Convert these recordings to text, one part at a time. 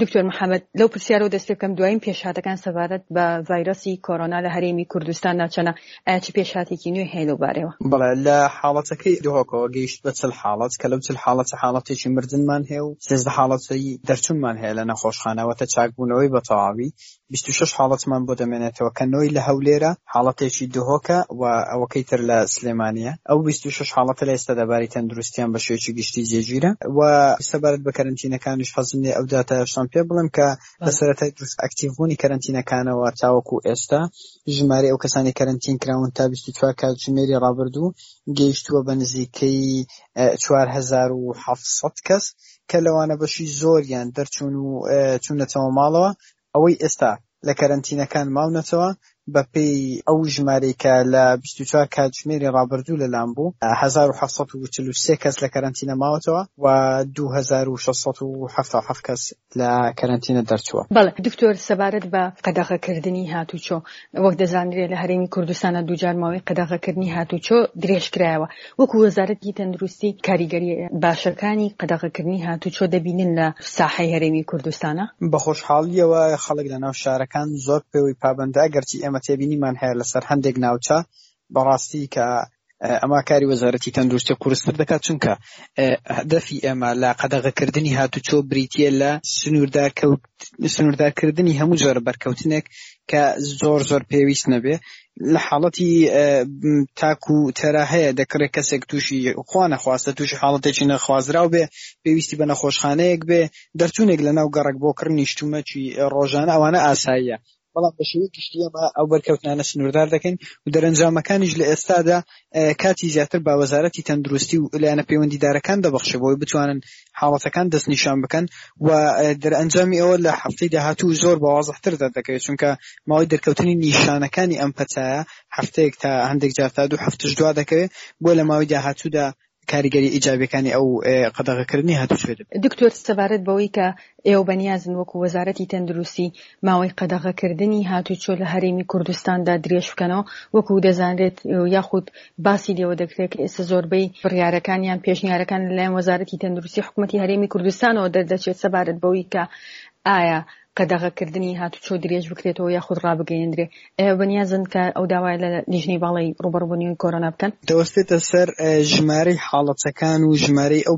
دکتۆر محەممەد لەو پرسیارەوە دەست پێ بکەم دوایین پێشهاتەکان سەبارەت بە ڤایرۆسی کۆرۆنا لە هەرێمی کوردستاندا چەنە؟ ئایا چ پێشهاتێکی نوێ هەیە لەو بارەیەوە؟ بەڵێ لە حاڵەتەکەی دهۆکەوە گەیشت بە 40 حاڵەت کە لەو 40 حاڵەتە حاڵەتێکی مردنمان هەیە و 13 حاڵەتی دەرچوونمان هەیە لە نەخۆشخانە واتە چاکبوونەوەی بە تەواوی 26 حاڵەتمان بۆ دەمێنێتەوە کە نۆی لە هەولێرە، حاڵەتێکی دهۆکە و ئەوەکەی تر لە سلێمانییە. ئەو 26 حاڵەتە لە ئێستادا باری تەندروستیان بە شێوەیەکی گشتی جێگیرە و سەبارەت بە کەرەنتینەکانیش حەزم لێیە ئەو داتایەشتان پێ بڵێم کە لە سەرەتای دروست ئەکتیڤبوونی کەرەنتینەکانەوە تاوەکو ئێستا ژمارەی ئەو کەسانەی کەرەنتین کراون تا 24 کاتژمێری ڕابردوو گەیشتووە بە نزیکەی 4700 کەس کە لەوانە بەشی زۆریان دەرچوون و چوونەتەوە ماڵەوە ئەوەی ئێستا لە کەرەنتینەکان ماونەتەوە بەپێی ئەو ژمارەی کە لە 24 کاتژمێری ڕابردوو لەلام بوو 1743 کەس لە کەرەنتینە ماوەتەوە و 2677 کەس لە کەرەنتینە دەرچووە. بەڵێ دکتۆر سەبارەت بە قەدەغەکردنی هاتوچۆ وەک دەزانرێت لە هەرێمی کوردستانە دووجار ماوەی قەدەغەکردنی هاتوچۆ درێژکرایەوە وەکو وەزارەتی تەندروستی کاریگەرییە باشەکانی قەدەغەکردنی هاتوچۆ دەبینن لە ساحەی هەرێمی کوردستانا؟ بە خۆشحاڵییەوە خەڵک لەناو شارەکان زۆر پێوەی پابەندە، ئەگەرچی ئێمە تێبینیمان هەیە لەسەر هەندێک ناوچە بەڕاستی کە ئەمە کاری وەزارەتی تەندروستی قورستر دەکات چونکە هەدەفی ئێمە لە قەدەغەکردنی هاتوچۆ بریتییە لە سنووردارکردنی هەموو جۆرە بەرکەوتنێک کە زۆر زۆر پێویست نەبێ لە حاڵەتی تاک و تەرا هەیە دەکرێت کەسێک تووشی خوا نەخواستە تووشی حاڵەتێکی نەخوازراو بێ پێویستی بە نەخۆشخانەیەک بێ دەرچوونێک لە ناو گەڕەک بۆ کڕینی شتومەکی ڕۆژانە ئەوانە ئاساییە بەڵام بە شێوەی گشتی ئێمە ئەو بەرکەوتنانە سنووردار دەکەین و دەرەنجامەکانیش لە ئێستادا کاتی زیاتر بە وەزارەتی تەندروستی و لایەنە پەیوەندیدارەکان دەبەخشێ بۆی بتوانن حاڵەتەکان دەستنیشان بکەن و دەرئەنجامی ئەوە لە هەفتەی داهاتوو زۆر بە وازحتر دەردەکەوێت چونکە ماوەی دەرکەوتنی نیشانەکانی ئەم پەتایە هەفتەیەک تا هەندێک جار تا دوو هەفتەش دوا دەکەوێت بۆ لە ماوەی داهاتوودا کاریگەری ئیجابیەکانی ئەو قەدەغەکردنی هاتوچۆ دەبێت. دکتۆر سەبارەت بەوەی کە ئێوە بەنیازن وەکو وەزارەتی تەندروستی ماوەی قەدەغەکردنی هاتوچۆ لە هەرێمی کوردستاندا درێژ بکەنەوە، وەکو دەزانرێت یاخود باسی لێوە دەکرێت کە ئێستا زۆربەی بڕیارەکان یان پێشنیارەکان لەلایەن وەزارەتی تەندروستی حکومەتی هەرێمی کوردستانەوە دەردەچێت سەبارەت بەوەی کە ئایا قەدەغەکردنی هاتوچۆ درێژ بکرێتەوە یاخود ڕابگەیەندرێ، ئێوە بەنیازن کە ئەو داوایە لە لیژنەی باڵای ڕووبەڕووبوونەوەی کۆرۆنا بکەن؟ دەوەستێتە سەر ژمارەی حاڵەتەکان و ژمارەی ئەو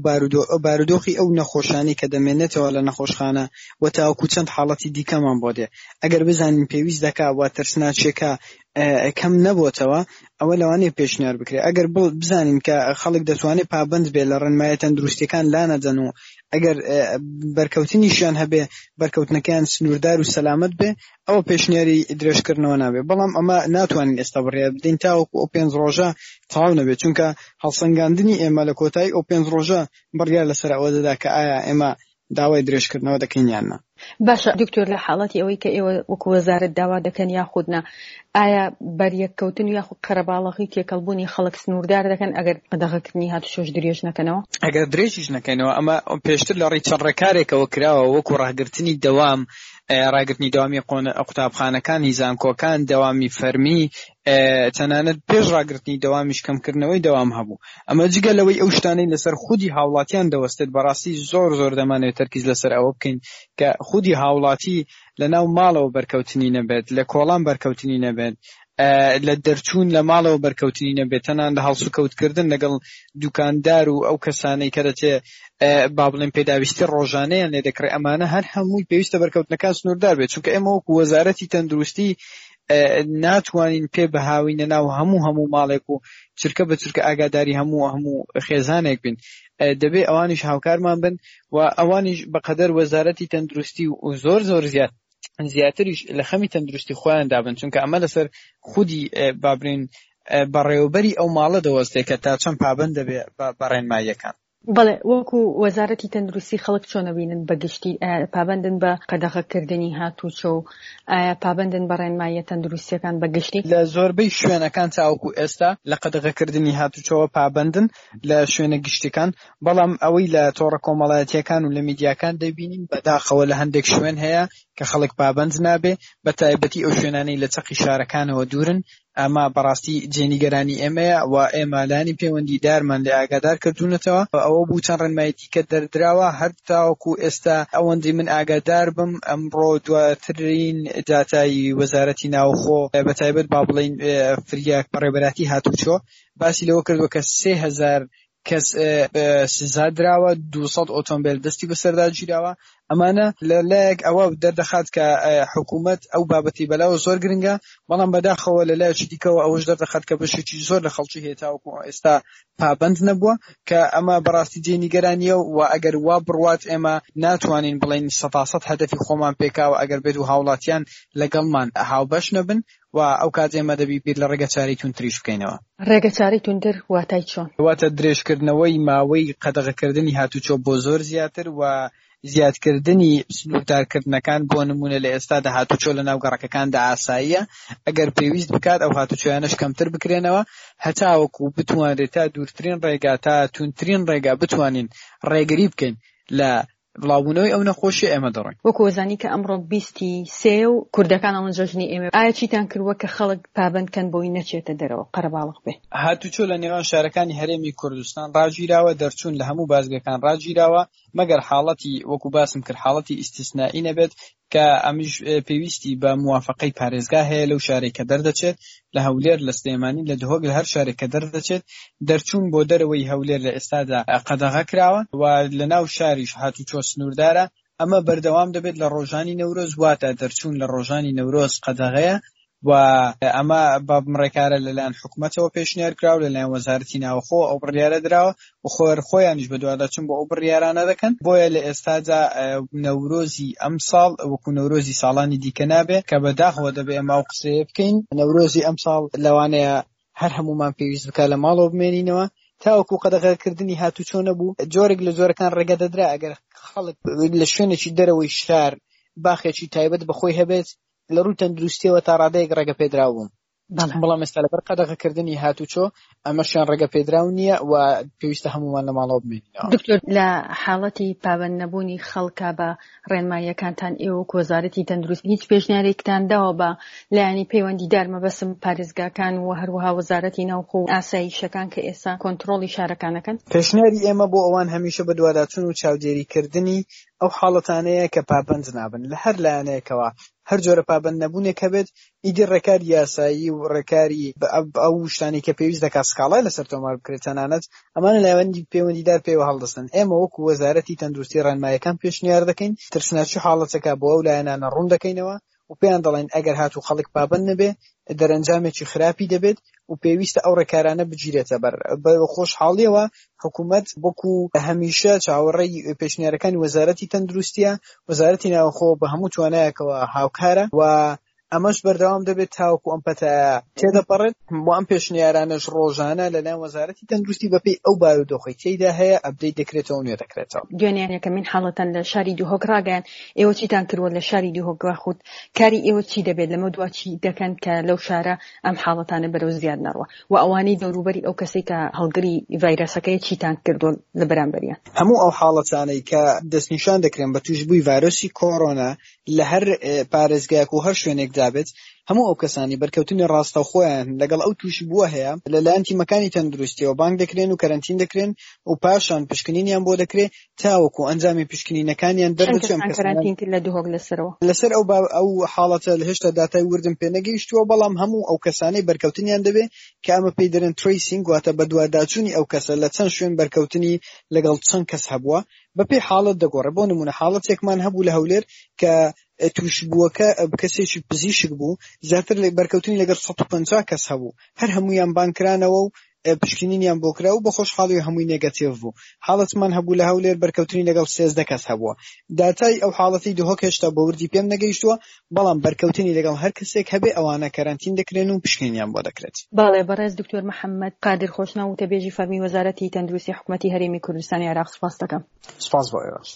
بارودۆخی ئەو نەخۆشانەی کە دەمێنێتەوە لە نەخۆشخانە و تاوەکو چەند حاڵەتی دیکەمان بۆ دێ ئەگەر بزانین پێویست دەکا و ترسناکیەکە کەم نەبۆتەوە ئەوە لەوانەیە پێشنیار بکرێت ئەگەر بزانین کە خەڵک دەتوانێت پابەند بێت لە ڕێنمایە تەندروستیەکان لانەدەن و ئەگەر بەرکەوتنیشیان هەبێ بەرکەوتنەکەیان سنووردار و سەلامەت بێ ئەوە پێشنیاری درێژکردنەوە نابێ بەڵام ئەمە ناتوانین ئێستا بڕیار بدەین تاوەکو ئەو پێنج ڕۆژە تەواو نەبێت چونکە هەڵسەنگاندنی ئێمە لە کۆتایی ئەو پێنج ڕۆژە بڕیار لەسەر ئەوە دەدا کە ئایا ئێمە داوای درێژکردنەوە دەکەین یان نا. باشە دکتۆر لە حاڵەتی ئەوەی کە ئێوە وەکو وەزارەت داوا دەکەن یاخود نا ئایا بەریەککەوتن و یاخود قەرەباڵغی و تێکەڵبوونی خەڵک سنووردار دەکەن ئەگەر قەدەغەکردنی هاتوچۆش درێژ نەکەنەوە؟ ئەگەر درێژیش نەکەینەوە ئەمە پێشتر لە ڕێی چەند ڕێکارێکەوە کراوە وەکو ڕاگرتنی دەوام ڕاگرتنی دەوامی قوتابخانەکانی زانکۆکان دەوامی فەرمی تەنانەت پێش ڕاگرتنی دەوامیش کەمکردنەوەی دەوام هەبوو ئەمە جگە لەوەی ئەو شتانەی لەسەر خودی هاوڵاتیان دەوەستێت بەڕاستی زۆر زۆر دەمانەوێت تەرکیز لەسەر ئەوە بکەین کە خودی هاوڵاتی لە ناو ماڵەوە بەرکەوتنی نەبێت لە کۆڵان بەرکەوتنی نەبێت لە دەرچوون لە ماڵەوە بەرکەوتنی نەبێت تەنان لە هەڵسوکەوتکردن لەگەڵ دوکاندار و ئەو کەسانەی کە دەچێ با بڵێن پێداویستی ڕۆژانەیان لێ دەکڕێ ئەمانە هەر هەمووی پێویستە بەرکەوتنەکان سنووردار بێت چونکە ئێمە وەکو وەزارەتی تەندروستی ناتوانین پێ بهاوینە ناو هەموو هەموو ماڵێک و چرکە بە چرکە ئاگاداری هەموو هەموو خێزانێک بین دەبێ ئەوانیش هاوکارمان بن و ئەوانیش بەقەدەر وەزارەتی تەندروستی و زۆر زۆر زیاد زیاتریش لە خەمی تەندروستی خۆیان دابن چونکە ئەمە لەسەر خودی بابرین بەڕێوەبەری ئەو ماڵە دەوەستێ کە تا چەند پابەند دەبێ بە ڕێنماییەکان. بەڵێ وەکو وەزارەتی تەندروستی خەڵک چۆن ئەبینن بە گشتی ئایا پابەندن بە قەدەغەکردنی هاتوچۆ و ئایا پابەندن بە ڕێنماییە تەندروستیەکان بە گشتی؟ لە زۆربەی شوێنەکان تاوەکو ئێستا لە قەدەغەکردنی هاتوچۆوە پابەندن لە شوێنە گشتیەکان، بەڵام ئەوەی لە تۆڕە کۆمەڵایەتیەکان و لە میدیاکان دەیبینین بەداخەوە لە هەندێک شوێن هەیە. کە خەڵک پابەند نابێ، بە تایبەتی ئەو شوێنانەی لە چەقی شارەکانەوە دوورن، ئەمە بەڕاستی جێ نیگەرانی ئێمەیە و ئێمە لایەنی پەیوەندیدارمان لێ ئاگادار کردوونەتەوە. ئەوە بوو چەند ڕێنمایی دیکە دەردراوە، هەر تاوەکو ئێستا ئەوەندەی من ئاگادار بم ئەمڕۆ دواترین داتای وەزارەتی ناوخۆ بە تایبەت با بڵێین فریا بەڕێوەبەرایەتی هاتوچۆ باسی لەوە کردووە کە 3000 کەس سزا دراوە، 200 ئۆتۆمبێل دەستی بەسەردا گیراوە. ئەمانە لە لایەک ئەوە دەردەخات کە حکوومەت ئەو بابەتی بەلاوە زۆر گرنگە، بەڵام بەداخەوە لە لایەکی دیکەوە ئەوەش دەردەخات کە بەشێکی زۆر لە خەڵکی هەیە تاوەکو ئێستا پابەند نەبووە، کە ئەمە بەڕاستی جێی نیگەرانییە و ئەگەر وا بڕوات ئێمە ناتوانین بڵێین سەتاسەد هەدەفی خۆمان پێکاوە ئەگەر بێت و هاوڵاتیان لەگەڵمان هاوبەش نەبن و ئەوکات ئێمە دەبی بیر لە ڕێگەچارەی توندتریش بکەینەوە. ڕێگەچارەی توندتر واتای چۆن؟ واتە درێژکردنەوەی ماوەی قەدەغەکردنی هاتوچۆ بۆ زۆر زیاتر و زیادکردنی سنووردارکردنەکان، بۆ نموونە لە ئێستادا هاتوچۆ لە ناو گەڕەکەکاندا ئاساییە، ئەگەر پێویست بکات ئەو هاتوچۆیانەش کەمتر بکرێنەوە هەتاوەکو بتوانرێت تا دوورترین ڕێگا تا توندترین ڕێگا بتوانین ڕێگری بکەین لە بڵاوبوونەوەی ئەو نەخۆشیە ئێمە دەڕۆین. وەکو ئەزانی کە ئەمڕۆ بیستی سێیە و کوردەکان ئەڵێن جەژنی ئێمەیە ئایا چیتان کردوە کە خەڵک پابەند کەن بۆی نەچێتە دەرەوە قەرەباڵغ بێ؟ هاتوچۆ لە نێوان شارەکانی هەرێمی کوردستان ڕاگیراوە، دەرچوون لە هەموو بازگەکان ڕاگیراوە، مەگەر حاڵەتی وەکو باسم کرد حاڵەتی ئیستیسنائی نەبێت کە ئەمیش پێویستی بە موافقەی پارێزگا هەیە لەو شارەی کە دەردەچێت، لە هەولێر، لە سلێمانی، لە دهۆک، لە هەر شارێک کە دەردەچێت، دەرچوون بۆ دەرەوەی هەولێر لە ئێستادا قەدەغە کراوە و لە ناو شاریش هاتوچۆ سنووردارە، ئەمە بەردەوام دەبێت لە ڕۆژانی نەورۆز، واتە دەرچوون لە ڕۆژانی نەورۆز قەدەغەیە و ئەمە بەم ڕێکارە لەلایەن حکومەتەوە پێشنیار کراوە، لەلایەن وەزارەتی ناوخۆ ئەو بڕیارە دراوە و خۆر خۆیانیش بەدواداچوون بۆ ئەو بڕیارانە دەکەن، بۆیە لە ئێستادا نەورۆزی ئەمساڵ وەکو نەورۆزی ساڵانی دیکە نابێ، کە بەداخەوە دەبێ ئێمە ئەو قسەیە بکەین، نەورۆزی ئەمساڵ لەوانەیە هەر هەموومان پێویست بکات لە ماڵەوە بمێنینەوە، تاوەکو قەدەغەکردنی هاتوچۆ نەبوو، جۆرێک لە جۆرەکان ڕێگە دەدرا ئەگەر خەڵک لە شوێنێکی دەرەوەی شار باخێکی تایبەت بە خۆی هەبێت، لە ڕووی تەندروستیەوە تا ڕادەیەک ڕێگە پێدراو بوون. بەڵام ئێستا لەبەر قەدەغەکردنی هاتوچۆ ئەمەشیان ڕێگە پێدراو نییە و پێویستە هەمومان لە ماڵەوە بمێنینەوە. دکتۆر لە حاڵەتی پابەند نەبوونی خەڵکا بە ڕێنماییەکانتان ئێوە وەک وەزارەتی تەندروستی هیچ پێشنیارێکتان داوە بە لایەنی پەیوەندیدار مەبەستم پارێزگاکان و هەروەها وەزارەتی ناوخۆ و ئاسایشەکان کە ئێستا کۆنتڕۆڵی شارەکان ئەکەن؟ پێشنیاری ئێمە بۆ ئەوان هەمیشە بەدواداچوون و چاودێریکردنی ئەو حاڵەتانەیە کە پابەند نابن لە هەر لایەنێکەوە هەر جۆرە پابەند نەبوونێک هەبێت ئیدی ڕێکاری یاسایی و ڕێکاری ئەو شتانەی کە پێویست دەکات سکاڵای لەسەر تۆمار بکرێت تەنانەت ئەمانە لایەنی پەیوەندیدار پێوە هەڵدەستن ئێمە وەکو وەزارەتی تەندروستی ڕێنمایەکان پێشنیار دەکەین ترسناکی حاڵەتەکە بۆ ئەو لایەنانە ڕوون دەکەینەوە و پێیان دەڵێن ئەگەر هاتوو خەڵک پابەند نەبێ دەرەنجامێکی خراپی دەبێت و پێویستە ئەو ڕێکارانە بگیرێتە بەر. بە خۆشحاڵیەوە حکوومەت وەکو هەمیشە چاوەڕێی پێشنیارەکانی وەزارەتی تەندروستیە، وەزارەتی ناوخۆ بە هەموو توانایەکەوە هاوکارە و ئەمەش بەردەوام دەبێت تاوەکو ئەم پەتایە تێدەپەڕێت و ئەم پێشنیارانەش ڕۆژانە لەلایەن وەزارەتی تەندروستی بەپێی ئەو بارودۆخەی تێیدا هەیە ئەپدەیت دەکرێتەوە و نوێ دەکرێتەوە. دوێنێ یەکەمین حاڵەتان لە شاری دهۆک ڕاگەیاند، ئێوە چیتان کردووە لە شاری دهۆک یاخود کاری ئێوە چی دەبێت لەمەودوا چی دەکەن کە لەو شارە ئەم حاڵەتانە بەرەو زیاد نەڕوا و ئەوانەی دەوروبەری ئەو کەسەی کە هەڵگری ڤایرەسەکەیە چیتان کردووە لە بەرامبەریان؟ هەموو ئەو حاڵەتانەی کە دەستنیشان دەکرێن بە تووشبووی ڤایرۆسی کۆرۆنا لە هەر پارێزگایەک و هەر شوێنێکدا بێت، هەموو ئەو کەسانەی بەرکەوتنی ڕاستەوخۆیان لەگەڵ ئەو تووشبووە هەیە لەلایەن تیمەکانی تەندروستیەوە بانگ دەکرێن و کەرەنتین دەکرێن و پاشان پشکنینیان بۆ دەکرێت تاوەکو ئەنجامی پشکنینەکانیان چەند دەردەچێت ئەم کەستان کەسانە کەرەنتین کرد لە دهۆک لەسەرەوە؟ لەسەر ئەو ئەو حاڵەتە هێشتا داتای وردم پێ نەگەیشتووە، بەڵام هەموو ئەو کەسانەی بەرکەوتنیان دەبێ کە ئەمە پێی دەرێن tracing واتە بەدواداچوونی ئەو کەسە لە چەند شوێن بەرکەوتنی لەگەڵ چەند کەس هەبووە بەپێی حاڵەت دەگۆڕێ بۆ نموونە حاڵەتێکمان هەبوو لە هەولێر کە تووشبووەکە کەسێکی پزیشک بوو زیاتر لە بەرکەوتنی لەگەڵ 150 کەس هەبوو هەر هەموویان بانگ کرانەوە و پشکنینیان بۆ کرا و بە خۆشحاڵی هەمووی نێگەتیڤ بوو. حاڵەتمان هەبوو لە هەولێر بەرکەوتنی لەگەڵ 13 کەس هەبووە. داتای ئەو حاڵەتەی دهۆک هێشتا بە وردی پێم نەگەیشتووە، بەڵام بەرکەوتنی لەگەڵ هەر کەسێک هەبێ ئەوانە کەرەنتین دەکرێن و پشکنینیان بۆ دەکرێت. بەڵێ بەڕێز دکتۆر محەممەد قادر خۆشناو وتەبێژی فەرمی وەزارەتی تەندروستی حکومەتی هەرێمی کوردستانی عێراق سوپاست دەکەم. سوپاس بۆ ئێوەش.